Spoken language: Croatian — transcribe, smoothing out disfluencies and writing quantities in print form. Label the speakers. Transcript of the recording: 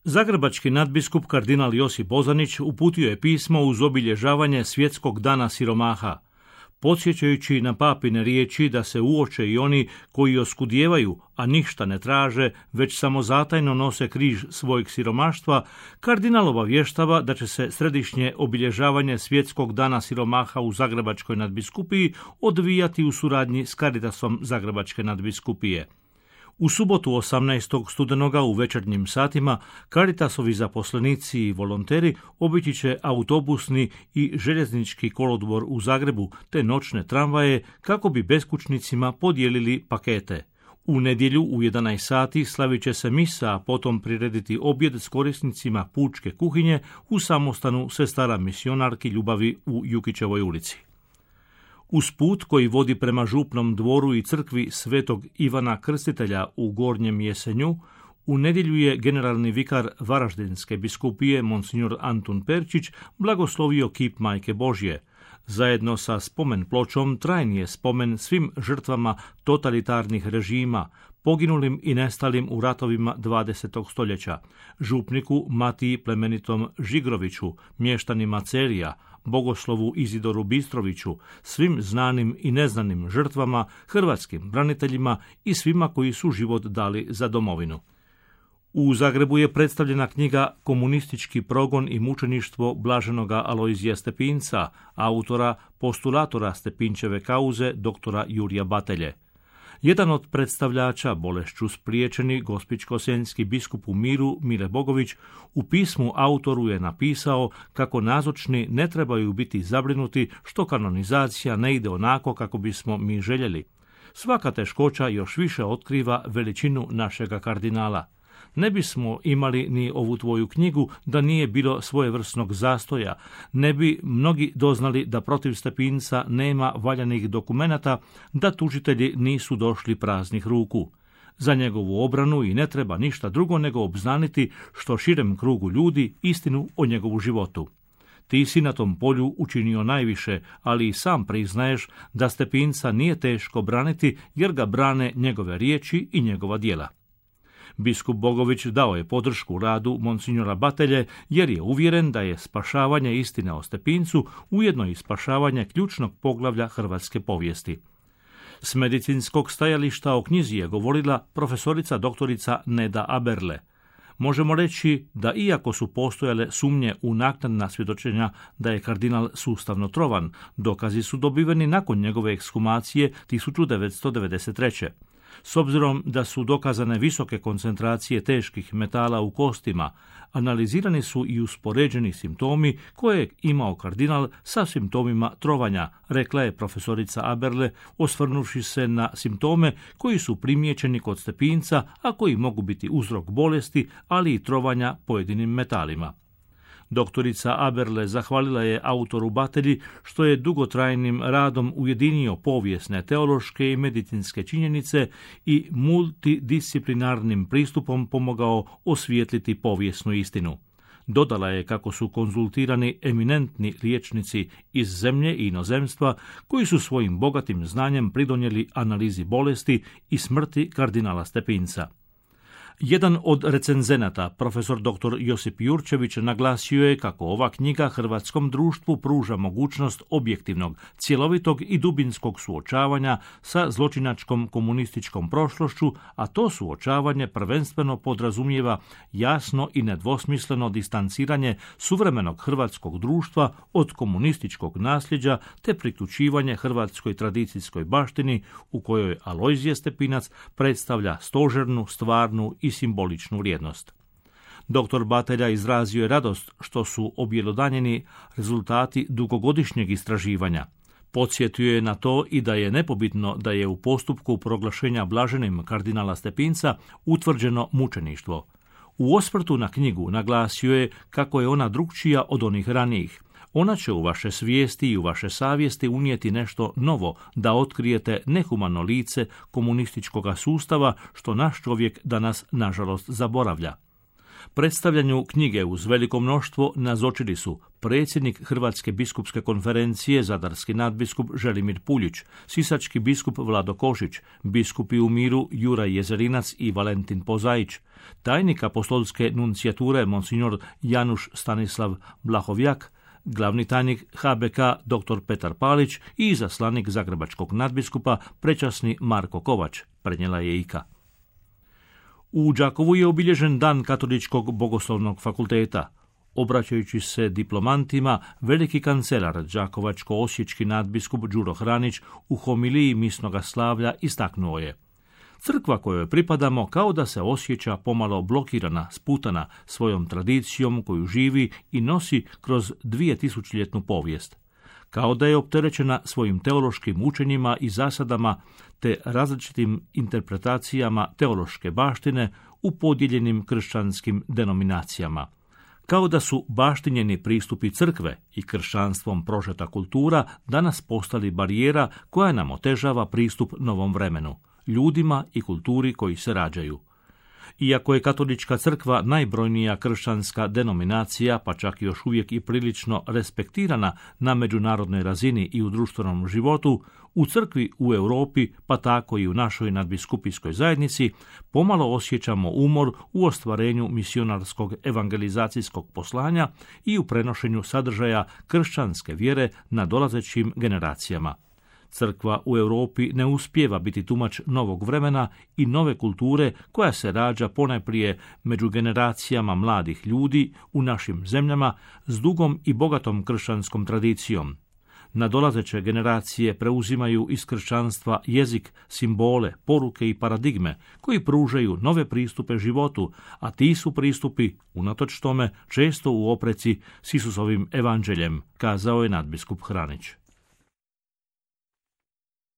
Speaker 1: Zagrebački nadbiskup kardinal Josip Bozanić uputio je pismo uz obilježavanje Svjetskog dana siromaha, podsjećajući na papine riječi da se uoče i oni koji oskudijevaju, a ništa ne traže, već samo zatajno nose križ svojeg siromaštva. Kardinal obavještava da će se središnje obilježavanje Svjetskog dana siromaha u Zagrebačkoj nadbiskupiji odvijati u suradnji s Caritasom Zagrebačke nadbiskupije. U subotu 18. studenoga u večernjim satima Caritasovi zaposlenici i volonteri obići će autobusni i željeznički kolodvor u Zagrebu te noćne tramvaje kako bi beskućnicima podijelili pakete. U nedjelju u 11 sati slavit će se misa, a potom prirediti objed s korisnicima pučke kuhinje u samostanu sestara misionarki Ljubavi u Jukićevoj ulici. Uz put koji vodi prema župnom dvoru i crkvi Svetog Ivana Krstitelja u Gornjem Jesenju, u nedjelju je generalni vikar Varaždinske biskupije Monsignor Antun Perčić blagoslovio kip Majke Božje. Zajedno sa spomen pločom trajni je spomen svim žrtvama totalitarnih režima, poginulim i nestalim u ratovima 20. stoljeća, župniku Matiji Plemenitom Žigroviću, mještanima Celija, bogoslovu Izidoru Bistroviću, svim znanim i neznanim žrtvama, hrvatskim braniteljima i svima koji su život dali za domovinu. U Zagrebu je predstavljena knjiga Komunistički progon i mučeništvo blaženoga Alojzija Stepinca, autora postulatora Stepinčeve kauze doktora Jurija Batelje. Jedan od predstavljača bolešću spriječeni gospićko-senjski biskup u miru Mile Bogović u pismu autoru je napisao kako nazočni ne trebaju biti zabrinuti što kanonizacija ne ide onako kako bismo mi željeli. Svaka teškoća još više otkriva veličinu našega kardinala. Ne bismo imali ni ovu tvoju knjigu da nije bilo svojevrsnog zastoja, ne bi mnogi doznali da protiv Stepinca nema valjanih dokumenata, da tužitelji nisu došli praznih ruku. Za njegovu obranu i ne treba ništa drugo nego obznaniti što širem krugu ljudi istinu o njegovu životu. Ti si na tom polju učinio najviše, ali i sam priznaješ da Stepinca nije teško braniti jer ga brane njegove riječi i njegova djela. Biskup Bogović dao je podršku radu Monsignora Batelje jer je uvjeren da je spašavanje istine o Stepincu ujedno i spašavanje ključnog poglavlja hrvatske povijesti. S medicinskog stajališta o knjizi je govorila profesorica doktorica Neda Aberle. Možemo reći da iako su postojale sumnje u naknadna svjedočenja da je kardinal sustavno trovan, dokazi su dobiveni nakon njegove ekshumacije 1993. S obzirom da su dokazane visoke koncentracije teških metala u kostima, analizirani su i uspoređeni simptomi koje je imao kardinal sa simptomima trovanja, rekla je profesorica Aberle, osvrnuvši se na simptome koji su primijećeni kod Stepinca, a koji mogu biti uzrok bolesti, ali i trovanja pojedinim metalima. Doktorica Aberle zahvalila je autoru Batelji što je dugotrajnim radom ujedinio povijesne, teološke i medicinske činjenice i multidisciplinarnim pristupom pomogao osvijetliti povijesnu istinu. Dodala je kako su konzultirani eminentni liječnici iz zemlje i inozemstva koji su svojim bogatim znanjem pridonijeli analizi bolesti i smrti kardinala Stepinca. Jedan od recenzenata, profesor dr. Josip Jurčević, naglasio je kako ova knjiga hrvatskom društvu pruža mogućnost objektivnog, cjelovitog i dubinskog suočavanja sa zločinačkom komunističkom prošlošću, a to suočavanje prvenstveno podrazumijeva jasno i nedvosmisleno distanciranje suvremenog hrvatskog društva od komunističkog nasljeđa te priključivanje hrvatskoj tradicijskoj baštini u kojoj Alojzije Stepinac predstavlja stožernu, stvarnu i simboličnu vrijednost. Dr. Batelja izrazio je radost što su objelodanjeni rezultati dugogodišnjeg istraživanja. Podsjetio je na to i da je nepobitno da je u postupku proglašenja blaženim kardinala Stepinca utvrđeno mučeništvo. U osvrtu na knjigu naglasio je kako je ona drukčija od onih ranijih. Ona će u vaše svijesti i u vaše savjesti unijeti nešto novo, da otkrijete nehumano lice komunističkog sustava što naš čovjek danas nažalost zaboravlja. Predstavljanju knjige uz veliko mnoštvo nazočili su predsjednik Hrvatske biskupske konferencije, zadarski nadbiskup Želimir Puljić, sisački biskup Vlado Košić, biskupi u miru Juraj Jezerinac i Valentin Pozaić, tajnik apostolske nuncijature monsignor Januš Stanislav Blahovjak, glavni tajnik HBK dr. Petar Palić i izaslanik zagrebačkog nadbiskupa prečasni Marko Kovač, prenijela je IKA. U Đakovu je obilježen Dan Katoličkog bogoslovnog fakulteta. Obraćajući se diplomantima, veliki kancelar đakovačko-osječki nadbiskup Đuro Hranić u homiliji misnoga slavlja istaknuo je: Crkva kojoj pripadamo kao da se osjeća pomalo blokirana, sputana svojom tradicijom koju živi i nosi kroz 2000-ljetnu povijest. Kao da je opterećena svojim teološkim učenjima i zasadama te različitim interpretacijama teološke baštine u podijeljenim kršćanskim denominacijama. Kao da su baštinjeni pristupi crkve i kršćanstvom prožeta kultura danas postali barijera koja nam otežava pristup novom vremenu, ljudima i kulturi koji se rađaju. Iako je katolička crkva najbrojnija kršćanska denominacija, pa čak još uvijek i prilično respektirana na međunarodnoj razini i u društvenom životu, u crkvi u Europi, pa tako i u našoj nadbiskupijskoj zajednici, pomalo osjećamo umor u ostvarenju misionarskog evangelizacijskog poslanja i u prenošenju sadržaja kršćanske vjere na dolazećim generacijama. Crkva u Europi ne uspijeva biti tumač novog vremena i nove kulture koja se rađa ponajprije među generacijama mladih ljudi u našim zemljama s dugom i bogatom kršćanskom tradicijom. Nadolazeće generacije preuzimaju iz kršćanstva jezik, simbole, poruke i paradigme koji pružaju nove pristupe životu, a ti su pristupi, unatoč tome, često u opreci s Isusovim evanđeljem, kazao je nadbiskup Hranić.